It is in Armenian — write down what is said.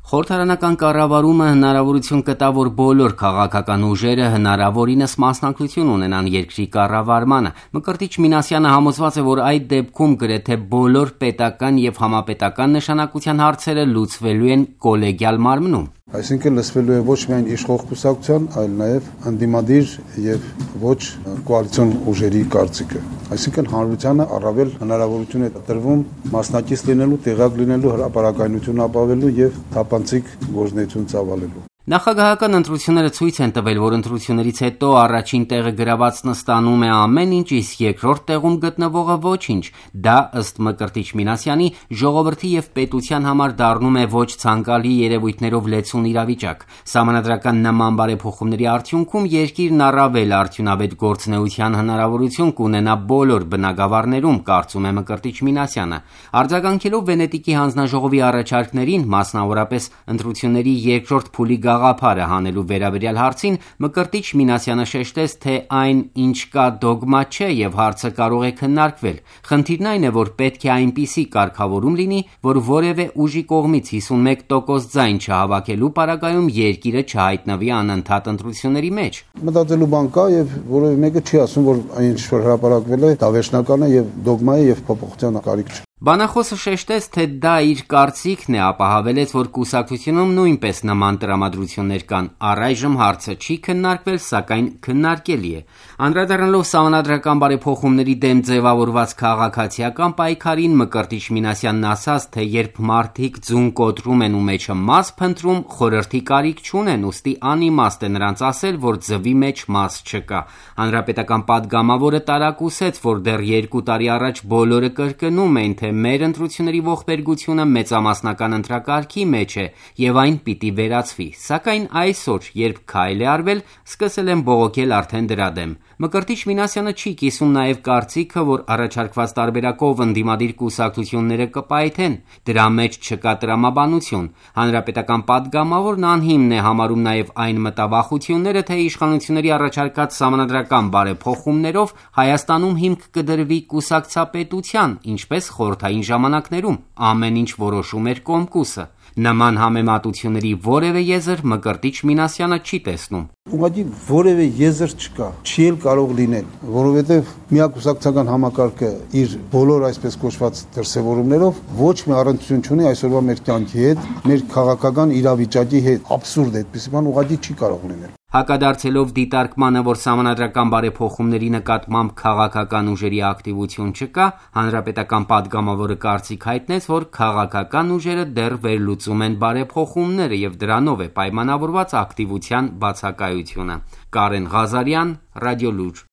Խորհրդարանական կառավարումը հնարավորություն կտա, որ բոլոր քաղաքական ուժերը հնարավորինս մասնակցություն ունենան երկրի կառավարմանը։ Մկրտիչ Մինասյանը համոզված է, որ այդ դեպքում գրեթե բոլոր պետական եւ համապետական նշանակության հարցերը լուծվելու են կոլեգիալ մարմնում։ Այսինքն լսվելու է ոչ միայն իշխող կուսակցության, այլ նաև ընդդիմադիր եւ ոչ կոալիցիոն ուժերի կարծիքը։ Այսինքն հանրությանը առավել հնարավորություն է տրվում մասնակից լինելու, տեղյակ լինելու, հրապարակայնություն ապավելու եւ թափանցիկ գործունեություն ծավալելու։ Նախագահական ընտրությունները ցույց են տվել, որ ընտրություններից հետո առաջին տեղը գրավածն ստանում է ամեն ինչ, իսկ երկրորդ տեղում գտնվողը ոչինչ։ Դա ըստ Մկրտիչ Մինասյանի ժողովրդի եւ պետության համար դառնում է ոչ ցանկալի երևույթներով լեցուն իրավիճակ։ Սահմանադրական նման բարեփոխումների արդյունքում երկիրն առավել արդյունավետ գործունեության հնարավորություն կունենա բոլոր բնագավառներում, կարծում է Մկրտիչ Մինասյանը։ Արձագանքելով Վենետիկի հանձնաժողովի առաջարկներին, մասնավորապես ընտրությունների երկրորդ փուլի գաղափարը հանելու վերաբերյալ հարցին, Մկրտիչ Մինասյանը շեշտեց, թե այն ինչ կա դոգմա չէ եւ հարցը կարող է քննարկվել։ Խնդիրն այն է, որ պետք է այնպիսի կարգավորում լինի, որ որևէ ուժի կողմից 51% ձայն չհավաքելու պարագայում երկիրը չհայտնվի անընդհատ ընտրությունների մեջ։ Մտածելու բան կա եւ որևէ մեկը չի ասում, որ այն ինչ որ հրապարակվել է, դա վերջնական է եւ դոգմա է եւ փոփոխության կարիք չկա։ Բանախոսը շեշտեց, թե դա իր կարծիքն է, ապա հավելեց, որ կուսակցությունում նույնպես նման տրամադրություններ կան։ Առայժմ հարցը չի քննարկվել, սակայն քննարկելի է։ Անդրադառնալով սահմանադրական բարեփոխումների դեմ ձևավորված քաղաքացիական պայքարին, Մկրտիչ Մինասյանն ասաց, թե երբ մարդիկ ձուն կոտրում են ու մեջը մաս փնտրում, խորհրդի կարիք չունեն, ուստի անիմաստ է նրանց ասել, որ ձվի մեջ մաս չկա։ Հանրապետական պատգամավորը տարակուսեց, որ դեռ 2 տարի առաջ բոլորը կրկնում էին, թե մեր ընտրությունների ողբերգությունը մեծամասնական ընտրակարգի մեջ է եւ այն պիտի վերացվի, սակայն այսօր, երբ քայլ է արվել, սկսել են բողոքել արդեն դրա դեմ։ Մկրտիչ Մինասյանը չի կիսում նաեւ կարծիքը, որ առաջարկված տարբերակով ընդդիմադիր կուսակցությունները կպայթեն, դրա մեջ չկա տրամաբանություն։ Հանրապետական պատգամավորն անհիմն է համարում նաեւ այն մտավախությունները, թե իշխանությունների առաջարկած սահմանադրական բարեփոխումներով Հայաստանում հիմք կդրվի կուսակցապետության, ինչպես խորհրդային ժամանակներում ամեն ինչ որոշում էր Կոմկուսը։ Նման համեմատությունների որևէ եզր Մկրտիչ Մինասյանը չի տեսնում։ Ուղղակի որևէ եզր չկա, չի էլ կարող լինել, որովհետև միակուսակցական համակարգը իր բոլոր այսպես կոչված դրսևորումներով ոչ մի առնչություն չունի այսօրվա մեր կյանքի հետ, մեր քաղաքական իրավիճակի հետ։ Աբսուրդ է, այդպիսի բան ուղղակի չի կարող լինել։ Հակադարձելով դիտարկմանը, որ սահմանադրական բարեփոխումների նկատմամբ քաղաքական ուժերի ակտիվություն չկա, հանրապետական պատգամավորը կարծիք հայտնեց, որ քաղաքական ուժերը դեռ վերլուծում են բարեփոխումները եւ դրանով է պայմանավորված ակտիվության բացակայությունը։ Կարեն Ղազարյան, Ռադիոլուր։